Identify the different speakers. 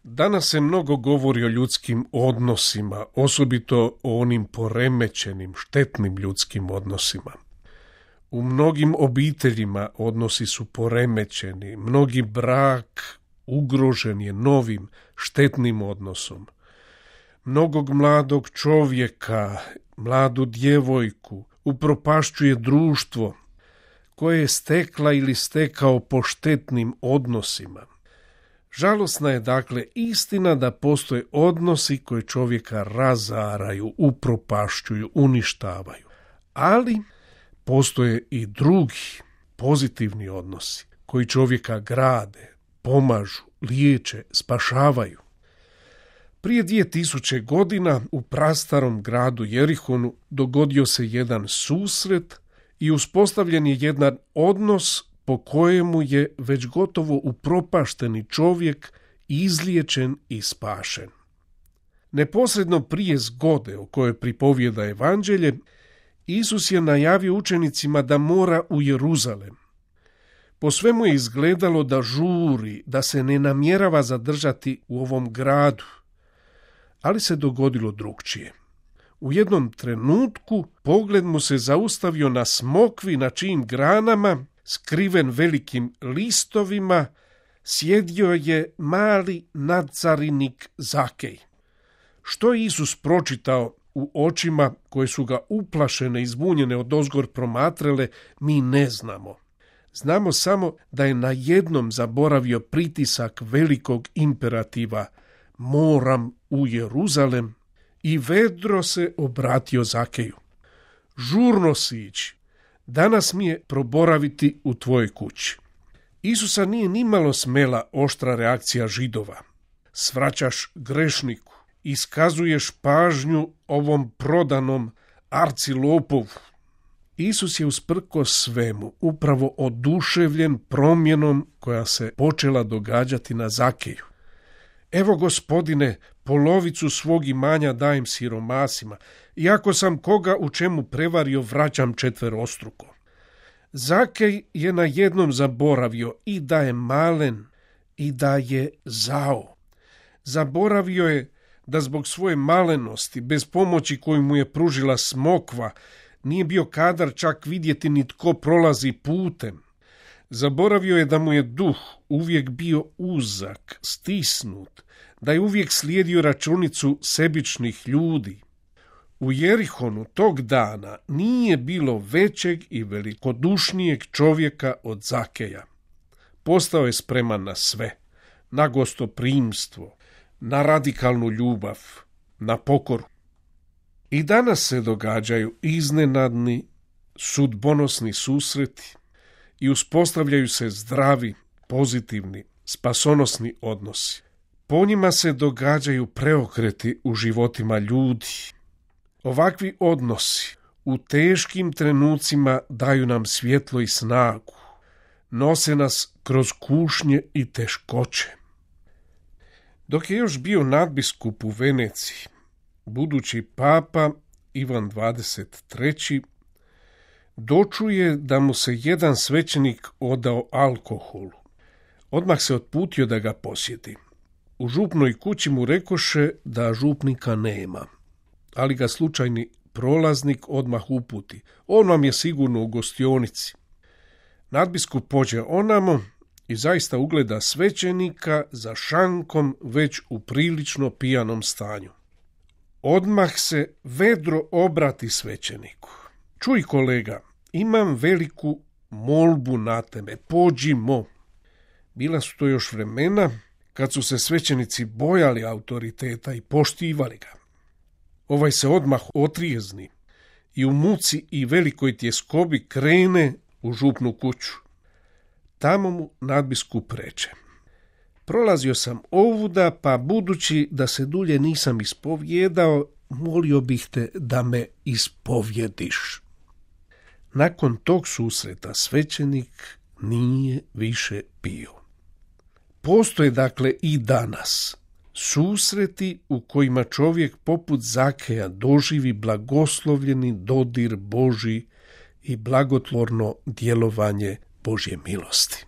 Speaker 1: Danas se mnogo govori o ljudskim odnosima, osobito o onim poremećenim, štetnim ljudskim odnosima. U mnogim obiteljima odnosi su poremećeni, mnogi brak ugrožen je novim, štetnim odnosom. Mnogog mladog čovjeka, mladu djevojku upropašćuje društvo koje je stekla ili stekao po štetnim odnosima. Žalosna je dakle istina da postoje odnosi koji čovjeka razaraju, upropašćuju, uništavaju. Ali postoje i drugi pozitivni odnosi koji čovjeka grade, pomažu, liječe, spašavaju. Prije 2000 godina u prastarom gradu Jerihonu dogodio se jedan susret i uspostavljen je jedan odnos po kojemu je već gotovo upropašteni čovjek izliječen i spašen. Neposredno prije zgode o kojoj pripovijeda evanđelje, Isus je najavio učenicima da mora u Jeruzalem. Po svemu je izgledalo da žuri, da se ne namjerava zadržati u ovom gradu, ali se dogodilo drukčije. U jednom trenutku pogled mu se zaustavio na smokvi na čijim granama, skriven velikim listovima, sjedio je mali nadzarinik Zakej. Što je Isus pročitao u očima koje su ga uplašene i zbunjene odozgor promatrale, mi ne znamo. Znamo samo da je najednom zaboravio pritisak velikog imperativa moram u Jeruzalem i vedro se obratio Zakeju. Žurno si ići, danas mi je proboraviti u tvojoj kući. Isusa nije nimalo smela oštra reakcija Židova. Svraćaš grešniku, iskazuješ pažnju ovom prodanom arcilopovu. Isus je usprkos svemu upravo oduševljen promjenom koja se počela događati na Zakeju. Evo, Gospodine, polovicu svog imanja dajem siromasima, i ako sam koga u čemu prevario, vraćam četverostruko. Zakej je najednom zaboravio i da je malen i da je zao. Zaboravio je da zbog svoje malenosti, bez pomoći koju mu je pružila smokva, nije bio kadar čak vidjeti ni tko prolazi putem. Zaboravio je da mu je duh uvijek bio uzak, stisnut, da je uvijek slijedio računicu sebičnih ljudi. U Jerihonu tog dana nije bilo većeg i velikodušnijeg čovjeka od Zakeja. Postao je spreman na sve, na gostoprimstvo, na radikalnu ljubav, na pokoru. I danas se događaju iznenadni, sudbonosni susreti i uspostavljaju se zdravi, pozitivni, spasonosni odnosi. Po njima se događaju preokreti u životima ljudi. Ovakvi odnosi u teškim trenucima daju nam svjetlo i snagu, nose nas kroz kušnje i teškoće. Dok je još bio nadbiskup u Veneciji, budući papa Ivan 23. dočuje da mu se jedan svećenik odao alkoholu. Odmah se otputio da ga posjeti. U župnoj kući mu rekoše da župnika nema, ali ga slučajni prolaznik odmah uputi. On vam je sigurno u gostionici. Nadbiskup pođe onamo i zaista ugleda svećenika za šankom već u prilično pijanom stanju. Odmah se vedro obrati svećeniku. Čuj kolega, imam veliku molbu na tebe, pođimo. Bila su to još vremena kad su se svećenici bojali autoriteta i poštivali ga. Ovaj se odmah otrijezni i u muci i velikoj tjeskobi krene u župnu kuću. Tamo mu nadbiskup reče: prolazio sam ovuda, pa budući da se dulje nisam ispovjedao, molio bih te da me ispovjediš. Nakon tog susreta svećenik nije više pio. Postoje dakle i danas susreti u kojima čovjek poput Zakeja doživi blagoslovljeni dodir Božji i blagotvorno djelovanje Božje milosti.